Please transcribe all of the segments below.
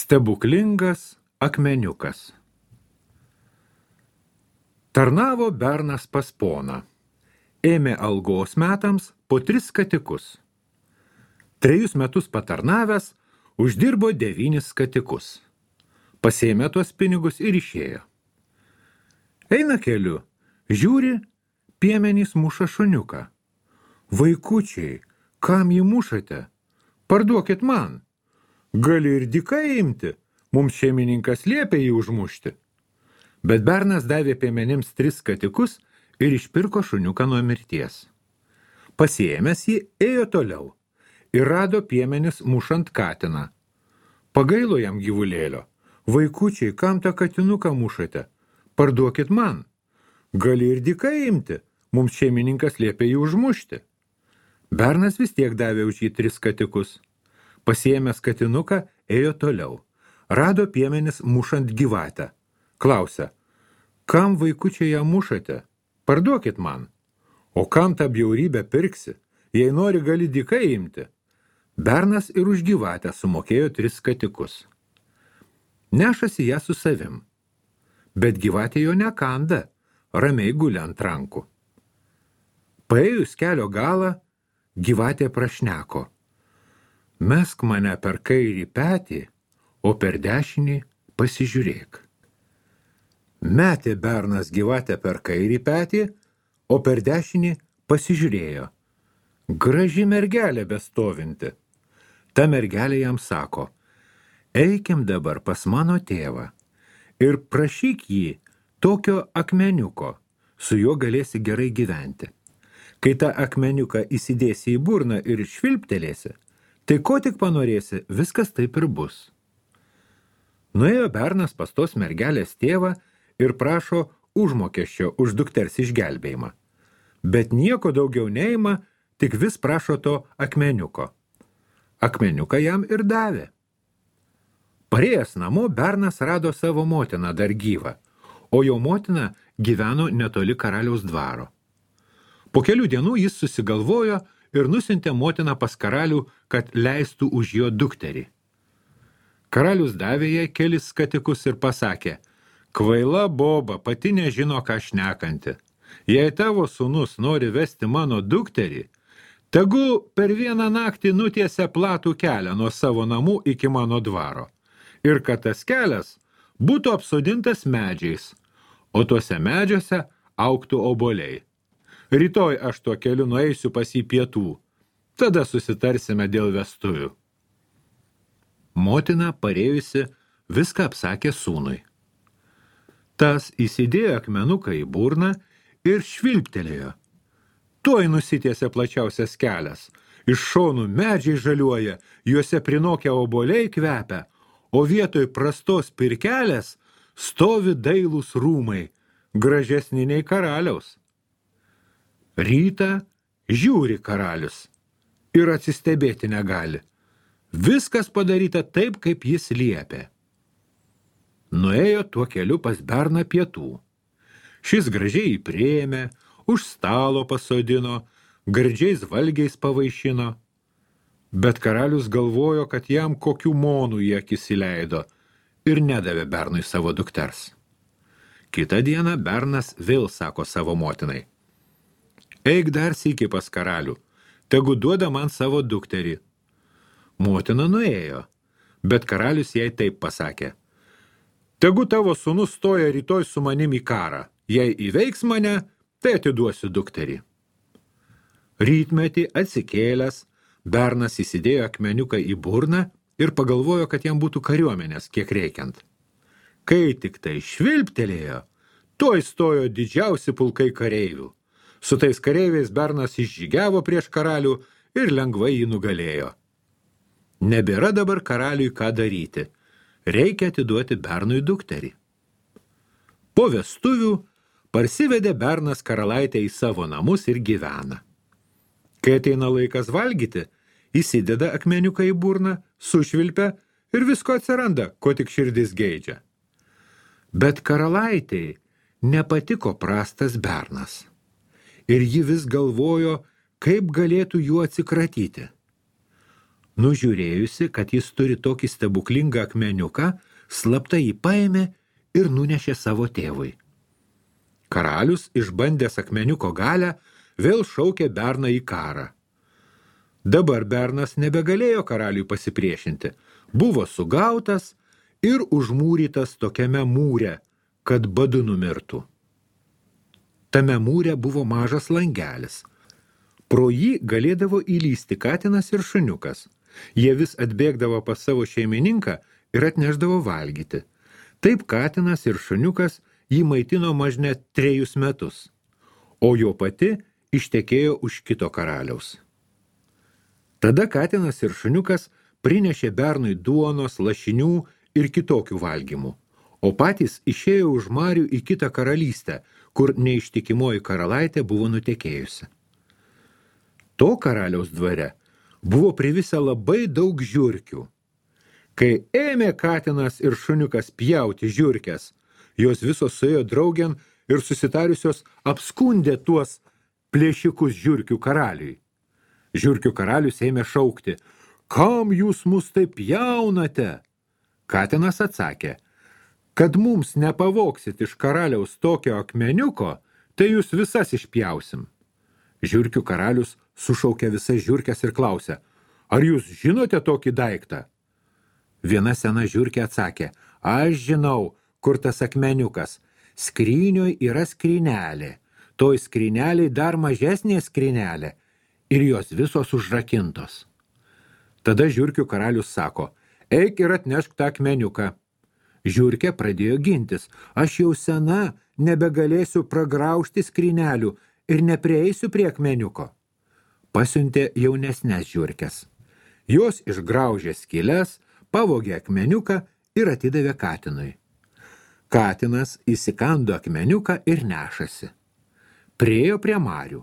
Stebuklingas akmeniukas. Tarnavo bernas pas poną. Ėmė algos metams po 3 skatikus. 3 metus patarnavęs, uždirbo 9 skatikus. Pasėmė tuos pinigus ir išėjo. Eina keliu, žiūri, piemenys muša šuniuką. Vaikučiai, kam jį mušate? Parduokit man. Gali ir dykai imti, mums šeimininkas liepė jį užmušti. Bet bernas davė piemenims 3 skatikus ir išpirko šuniuką nuo mirties. Pasiėmęs jį, ėjo toliau ir rado piemenis mušant katiną. Pagailo jam gyvulėlio. Vaikučiai, kam tą katinuką mušate? Parduokit man. Gali ir dykai imti, mums šeimininkas liepė jį užmušti. Bernas vis tiek davė už jį 3 skatikus. Pasiėmęs katinuką, ėjo toliau. Rado piemenis mušant gyvatę. Klausia, kam vaikučiai ją mušate? Parduokit man. O kam tą bjaurybę pirksi? Jei nori, gali dykai imti. Bernas ir už gyvatę sumokėjo 3 skatikus. Nešasi ją su savim. Bet gyvatė jo nekanda, ramiai guli ant rankų. Paėjus kelio galą, gyvatė prašneko. Mesk mane per kairį petį, o per dešinį pasižiūrėk. Metė bernas gyvatę per kairį petį, o per dešinį pasižiūrėjo. Graži mergelė bestovinti. Ta mergelė jam sako, eikim dabar pas mano tėvą ir prašyk jį tokio akmeniuko, su juo galėsi gerai gyventi. Kai tą akmeniuką įsidėsi į burną ir švilptelėsi, tai ko tik panorėsi, viskas taip ir bus. Nuėjo bernas pas tos mergelės tėvą ir prašo užmokesčio už dukters išgelbėjimą. Bet nieko daugiau neima, tik vis prašo to akmeniuko. Akmeniuką jam ir davė. Parėjęs namo, bernas rado savo motiną dar gyvą, o jo motina gyveno netoli karaliaus dvaro. Po kelių dienų jis susigalvojo ir nusintė motiną pas karalių, kad leistų už jo dukterį. Karalius davė jai kelis skatikus ir pasakė, kvaila boba, pati nežino, ką šnekanti. Jei tavo sūnus nori vesti mano dukterį, tegu per vieną naktį nutiesia platų kelią nuo savo namų iki mano dvaro. Ir kad tas kelias būtų apsodintas medžiais, o tuose medžiuose augtų obuoliai. Rytoj aš tuo keliu nueisiu pas jį pietų. Tada susitarsime dėl vestuvių. Motina, parėjusi, viską apsakė sūnui. Tas įsidėjo akmenuką į burną ir švilptelėjo. Tuoj nusitiesė plačiausias kelias. Iš šonų medžiai žaliuoja, juose prinokę obuoliai kvepia, o vietoj prastos pirkelės stovi dailūs rūmai, gražesni nei karaliaus. Rytą žiūri karalius ir atsistebėti negali. Viskas padaryta taip, kaip jis liepė. Nuėjo tuo keliu pas berną pietų. Šis gražiai jį priėmė, už stalo pasodino, gardžiais valgiais pavaišino. Bet karalius galvojo, kad jam kokių monų į akis įleido ir nedavė bernui savo dukters. Kitą dieną bernas vėl sako savo motinai. Eik dar sykį pas karalių, tegu duoda man savo dukterį. Motina nuėjo, bet karalius jai taip pasakė. Tegu tavo sūnus stoja rytoj su manim į karą. Jei įveiks mane, tai atiduosiu dukterį. Rytmetį atsikėlęs, bernas įsidėjo akmeniuką į burną ir pagalvojo, kad jam būtų kariuomenės kiek reikiant. Kai tik tai švilptelėjo, tuoj stojo didžiausi pulkai kareivių. Su tais kareiviais bernas išžygiavo prieš karalių ir lengvai jį nugalėjo. Nebėra dabar karaliui ką daryti. Reikia atiduoti bernui dukterį. Po vestuvių parsivedė bernas karalaitę į savo namus ir gyvena. Kai ateina laikas valgyti, įsideda akmeniuką į burną, sušvilpia ir visko atsiranda, ko tik širdis geidžia. Bet karalaitei nepatiko prastas bernas. Ir ji vis galvojo, kaip galėtų juo atsikratyti. Nužiūrėjusi, kad jis turi tokį stebuklingą akmeniuką, slapta jį paėmė ir nunešė savo tėvui. Karalius, išbandęs akmeniuko galę, vėl šaukė berną į karą. Dabar bernas nebegalėjo karaliui pasipriešinti, buvo sugautas ir užmūrytas tokiame mūre, kad badu numirtų. Tame mūre buvo mažas langelis. Pro jį galėdavo įlysti katinas ir šuniukas. Jie vis atbėgdavo pas savo šeimininką ir atnešdavo valgyti. Taip katinas ir šuniukas jį maitino mažne 3 metus, o jo pati ištekėjo už kito karaliaus. Tada katinas ir šuniukas prinešė bernui duonos, lašinių ir kitokių valgymų, o patys išėjo už marių į kitą karalystę, kur neištikimoji karalaitė buvo nutekėjusi. To karaliaus dvare buvo privisę labai daug žiurkių. Kai ėmė katinas ir šuniukas pjauti žiurkes, jos visos suėjo draugėn ir susitariusios apskundė tuos plėšikus žiurkių karaliui. Žiurkių karalius ėmė šaukti: "Kam jūs mus taip pjaunate?" Katinas atsakė: "Kad mums nepavoksit iš karaliaus tokio akmeniuko, tai jūs visas išpjausim." Žiurkių karalius sušaukė visas žiurkes ir klausė: "Ar jūs žinote tokį daiktą?" Viena sena žiurkė atsakė: "Aš žinau, kur tas akmeniukas. Skrynioj yra skrynelė, toj skryneliai dar mažesnė skrynelė ir jos visos užrakintos." Tada žiurkių karalius sako: "Eik ir atnešk tą akmeniuką." Žiurkė pradėjo gintis: "Aš jau sena, nebegalėsiu pragraužti skrynelių ir neprieisiu prie akmeniuko." Pasiuntė jaunesnes žiurkes. Jos išgraužė skyles, pavogė akmeniuką ir atidavė katinui. Katinas įsikando akmeniuką ir nešasi. Priėjo prie marių.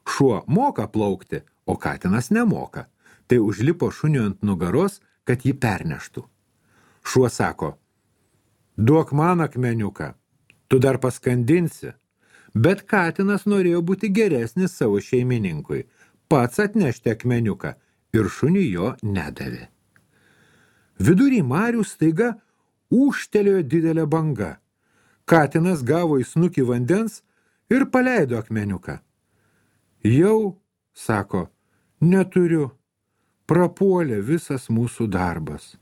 Šuo moka plaukti, o katinas nemoka. Tai užlipo šuniui ant nugaros, kad jį perneštų. Šuo sako: "Duok man akmeniuką, tu dar paskandinsi." Bet katinas norėjo būti geresnis savo šeimininkui, pats atnešti akmeniuką ir šuniui jo nedavė. Vidury marių staiga ūžtelėjo didelė banga. Katinas gavo į snukį vandens ir paleido akmeniuką. "Jau," sako, "neturiu, prapuolė visas mūsų darbas."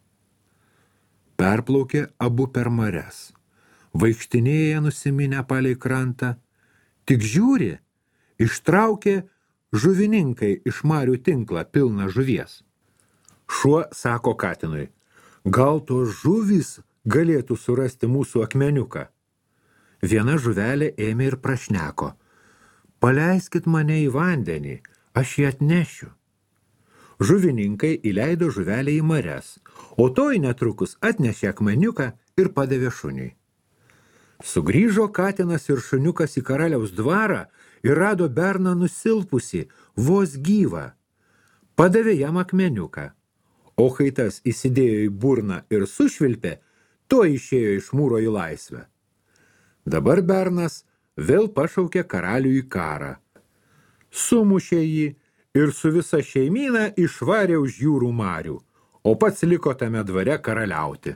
Perplaukė abu per marias. Vaikštinėja nusiminę palei krantą. Tik žiūri, ištraukė žuvininkai iš marių tinklą pilną žuvies. Šuo sako katinui: "Gal tos žuvys galėtų surasti mūsų akmeniuką?" Viena žuvelė ėmė ir prašneko: "Paleiskit mane į vandenį, aš jį atnešiu." Žuvininkai įleido žuvelę į marias, o toj netrukus atnešė akmeniuką ir padavė šuniui. Sugrįžo katinas ir šuniukas į karaliaus dvarą ir rado berną nusilpusį, vos gyvą. Padavė jam akmeniuką, o kai tas įsidėjo į burną ir sušvilpė, to išėjo iš mūro į laisvę. Dabar bernas vėl pašaukė karalių į karą. Sumušė jį ir su visa šeimyna išvarė už jūrų marių, o pats liko tame dvare karaliauti.